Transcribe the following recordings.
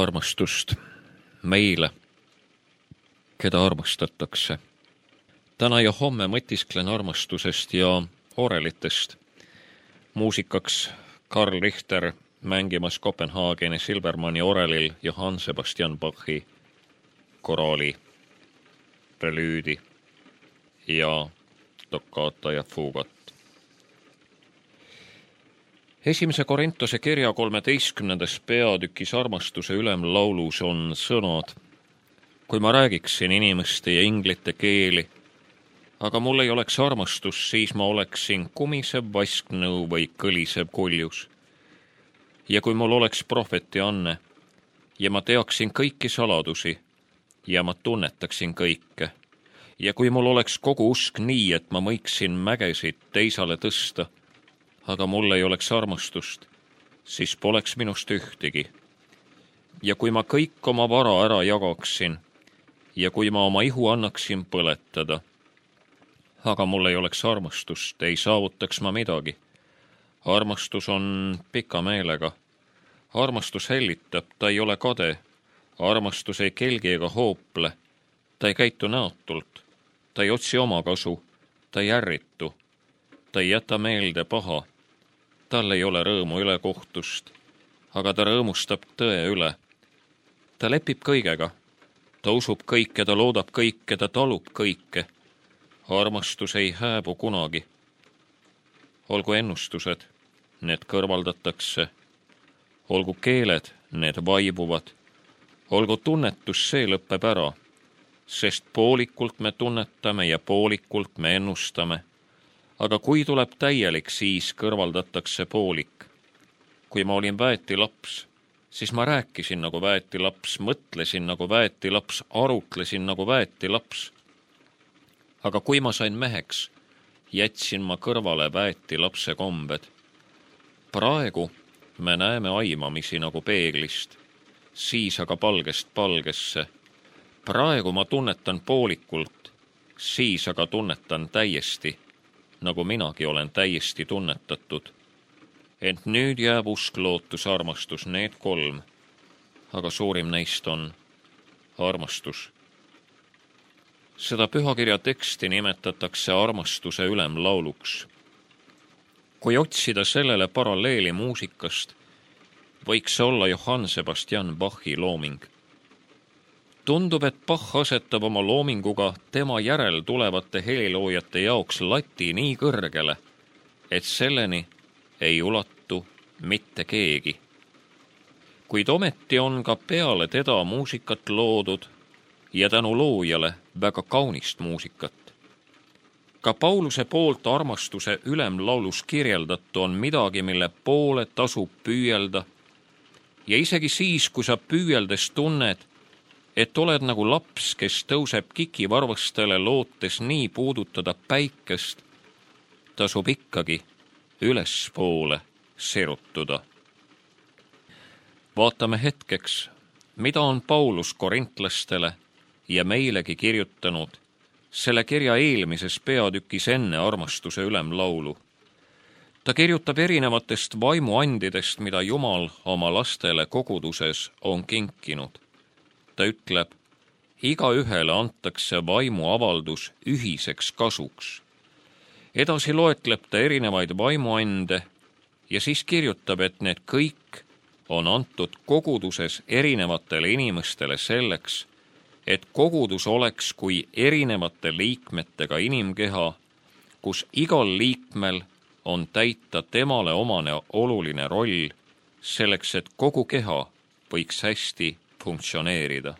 armastust meile, keda armastatakse. Täna ja homme mõtisklen armastusest ja orelitest. Muusikaks Karl Richter mängimas Kopenhaageni Silbermanni orelil Johann Sebastian Bachi koraali, prelüüdi ja toccata ja fugat. Esimese Korintuse kirja 13. peatükis armastuse ülemlaulus on sõnad: kui ma räägiksin inimeste ja inglite keeli, aga mul ei oleks armastus, siis ma oleksin kumisev vasknõu või kõlisev kuljus. Ja kui mul oleks prohveti anne ja ma teaksin kõiki saladusi ja ma tunnetaksin kõike, ja kui mul oleks kogu usk nii, et ma võiksin mägesid teisale tõsta, aga mul ei oleks armastust, siis poleks minust ühtegi. Ja kui ma kõik oma vara ära jagaksin ja kui ma oma ihu annaksin põletada, aga mul ei oleks armastust, ei saavutaks ma midagi. Armastus on pika meelega. Armastus hellitab, ta ei ole kade. Armastus ei kelgi ega hoople. Ta ei käitu näotult. Ta ei otsi oma kasu. Ta ei ärritu. Ta ei jäta meelde paha. Tal ei ole rõõmu ülekohtust, aga ta rõõmustab tõe üle. Ta lepib kõigega. Ta usub kõike, ta loodab kõike, ta talub kõike. Armastus ei hääbu kunagi. Olgu ennustused, need kõrvaldatakse. Olgu keeled, need vaibuvad. Olgu tunnetus, see lõpeb ära, sest poolikult me tunnetame ja poolikult me ennustame. Aga kui tuleb täielik, siis kõrvaldatakse poolik. Kui ma olin väetilaps, siis ma rääkisin nagu väetilaps, mõtlesin nagu väetilaps, arutlesin nagu väetilaps. Aga kui ma sain meheks, jätsin ma kõrvale väetilapse kombed. Praegu me näeme aimamisi nagu peeglist, siis aga palgest palgesse. Praegu ma tunnetan poolikult, siis aga tunnetan täiesti, nagu minagi olen täiesti tunnetatud. Ent nüüd jääb usk, lootus, armastus, need kolm, aga suurim neist on armastus. Seda pühakirja teksti nimetatakse armastuse ülemlauluks. Kui otsida sellele paralleeli muusikast, võiks see olla Johann Sebastian Bachi looming. Tundub, et Bach asetab oma loominguga tema järel tulevate heliloojate jaoks lati nii kõrgele, et selleni ei ulatu mitte keegi. Kuid ometi on ka peale teda muusikat loodud ja tänu loojale väga kaunist muusikat. Ka Pauluse poolt armastuse ülemlaulus kirjeldatu on midagi, mille poole tasub püüelda. Ja isegi siis, kui sa püüeldes tunned, et oled nagu laps, kes tõuseb kikivarvastele lootes nii puudutada päikest, tasub ikkagi ülespoole serutuda. Vaatame hetkeks, mida on Paulus korintlastele ja meilegi kirjutanud selle kirja eelmises peatükis enne armastuse ülemlaulu. Ta kirjutab erinevatest vaimuandidest, mida Jumal oma lastele koguduses on kinkinud. Ta ütleb, igaühele antakse vaimuavaldus ühiseks kasuks. Edasi loetleb ta erinevaid vaimuande ja siis kirjutab, et need kõik on antud koguduses erinevatele inimestele selleks, et kogudus oleks kui erinevate liikmetega inimkeha, kus igal liikmel on täita temale omane oluline roll selleks, et kogu keha võiks hästi funktsioneerida.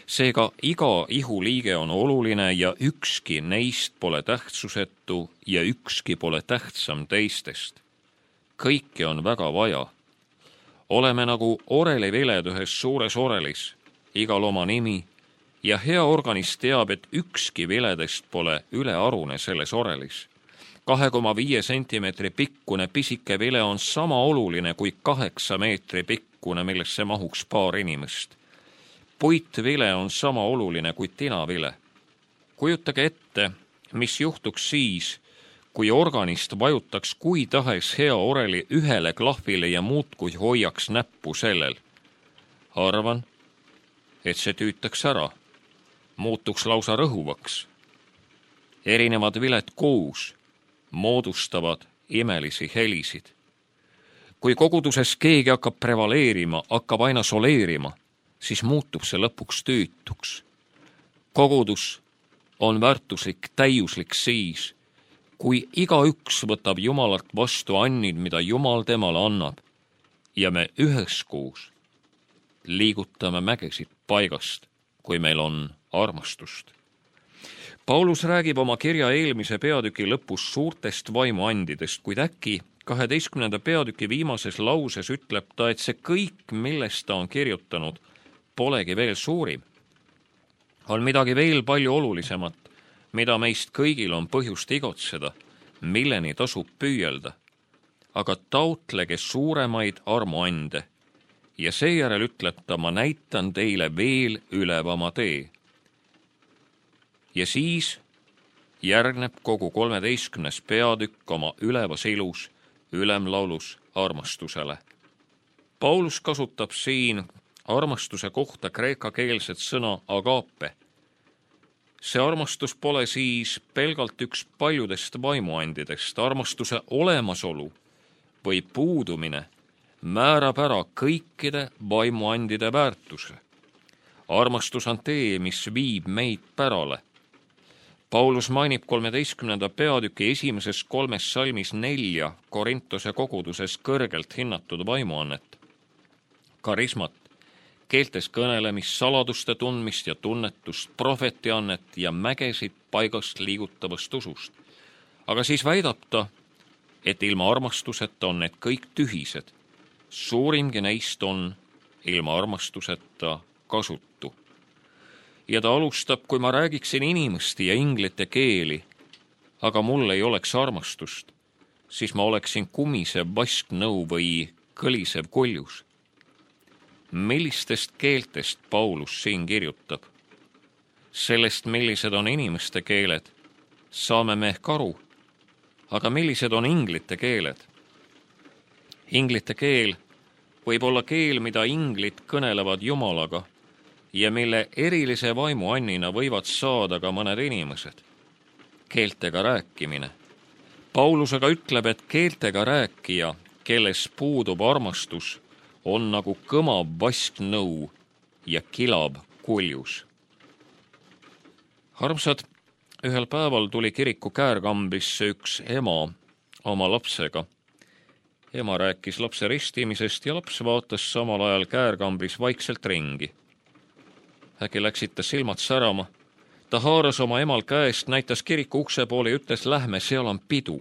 Seega iga ihuliige on oluline ja ükski neist pole tähtsusetu ja ükski pole tähtsam teistest. Kõike on väga vaja. Oleme nagu oreliviled ühes suures orelis, igal oma nimi, ja hea organist teab, et ükski viledest pole ülearune selles orelis. 2,5 sentimeetri pikkune pisike vile on sama oluline kui 8 meetri pikkune, millesse mahuks paar inimest. Puitvile on sama oluline kui tinavile. Kujutage ette, mis juhtuks siis, kui organist vajutaks kui tahes hea oreli ühele klahvile ja muudkui hoiaks näppu sellel. arvan, et see tüütaks ära, muutuks lausa rõhuvaks. Erinevad viled koos moodustavad imelisi helisid. Kui koguduses keegi hakkab prevaleerima, hakkab aina soleerima, siis muutub see lõpuks tüütuks. Kogudus on väärtuslik, täiuslik siis, kui igaüks võtab Jumalalt vastu annid, mida Jumal temale annab, ja me üheskoos liigutame mägesid paigast, kui meil on armastust. Paulus räägib oma kirja eelmise peatüki lõpus suurtest vaimuandidest, kuid äkki 12. peatüki viimases lauses ütleb ta, et see kõik, millest ta on kirjutanud, polegi veel suurim. On midagi veel palju olulisemat, mida meist kõigil on põhjust igotseda, milleni tasub püüelda. Aga taotlege suuremaid armuande ja seejärel ütleb ta, ma näitan teile veel ülevama tee. Ja siis järgneb kogu 13. peatükk oma ülevas ilus ülemlaulus armastusele. Paulus kasutab siin armastuse kohta kreekakeelset sõna agape. See armastus pole siis pelgalt üks paljudest vaimuandidest. Armastuse olemasolu või puudumine määrab ära kõikide vaimuandide väärtuse. Armastus on tee, mis viib meid pärale. Paulus mainib 13. peatüki esimeses 3 salmis 4 Korintuse koguduses kõrgelt hinnatud vaimuannet. Karismat, keeltes kõnelemist, saladuste tundmist ja tunnetust, prohvetiannet ja mägesid paigast liigutavast usust. Aga siis väidab ta, et ilma armastuseta on need kõik tühised. Suurimgi neist on ilma armastuseta kasutu. Ja ta alustab, kui ma räägiksin inimeste ja inglite keeli, aga mul ei oleks armastust, siis ma oleksin kumisev vasknõu või kõlisev koljus. Millistest keeltest Paulus siin kirjutab? Sellest, millised on inimeste keeled, saame me ehk aru, aga millised on inglite keeled? Inglite keel võib olla keel, mida inglid kõnelevad Jumalaga ja mille erilise vaimuannina võivad saada ka mõned inimesed. Keeltega rääkimine. Paulus aga ütleb, et keeltega rääkija, kelles puudub armastus, on nagu kõmav vasknõu ja kilab koljus. Armsad, ühel päeval tuli kiriku käärkambrisse üks ema oma lapsega. Ema rääkis lapse ristimisest ja laps vaatas samal ajal käärkambris vaikselt ringi. Äkki läksid ta silmad särama. Ta haaras oma emal käest, näitas kiriku ukse poole ja ütles, lähme, seal on pidu.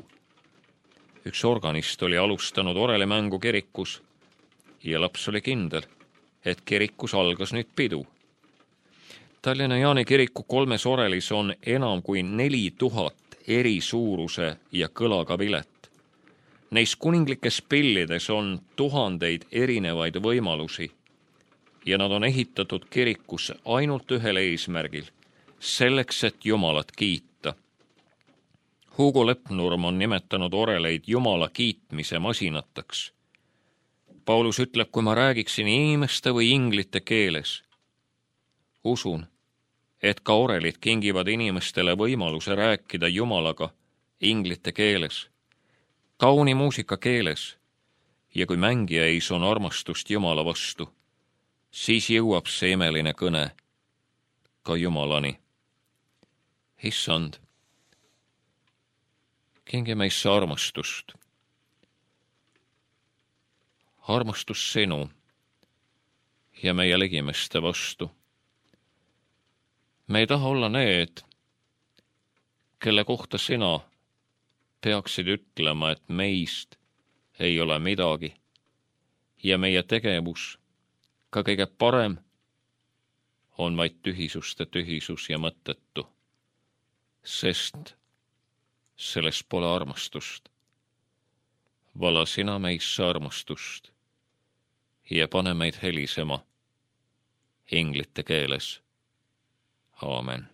Üks organist oli alustanud orelimängu kirikus ja laps oli kindel, et kirikus algas nüüd pidu. Tallinna Jaani kiriku 3 orelis on enam kui 4000 eri suuruse ja kõlaga vilet. Neis kuninglikes pillides on tuhandeid erinevaid võimalusi ja nad on ehitatud kirikusse ainult ühel eesmärgil, selleks, et Jumalat kiita. Hugo Lepnurm on nimetanud oreleid Jumala kiitmise masinateks. Paulus ütleb, kui ma räägiksin inimeste või inglite keeles, usun, et ka orelid kingivad inimestele võimaluse rääkida Jumalaga inglite keeles, kauni muusika keeles, ja kui mängija ees on armastust Jumala vastu, siis jõuab see imeline kõne ka Jumalani. Issand, kingi meisse armastust. Armastus sinu ja meie ligimeste vastu. Me ei taha olla need, kelle kohta sina peaksid ütlema, et meist ei ole midagi ja meie tegevus, ka kõige parem, on vaid tühisuste tühisus ja mõttetu, sest selles pole armastust. Vala sina meisse armastust ja pane meid helisema inglite keeles. Aamen.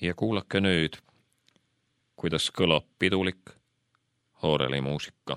Ja kuulake nüüd, kuidas kõlab pidulik orelimuusika.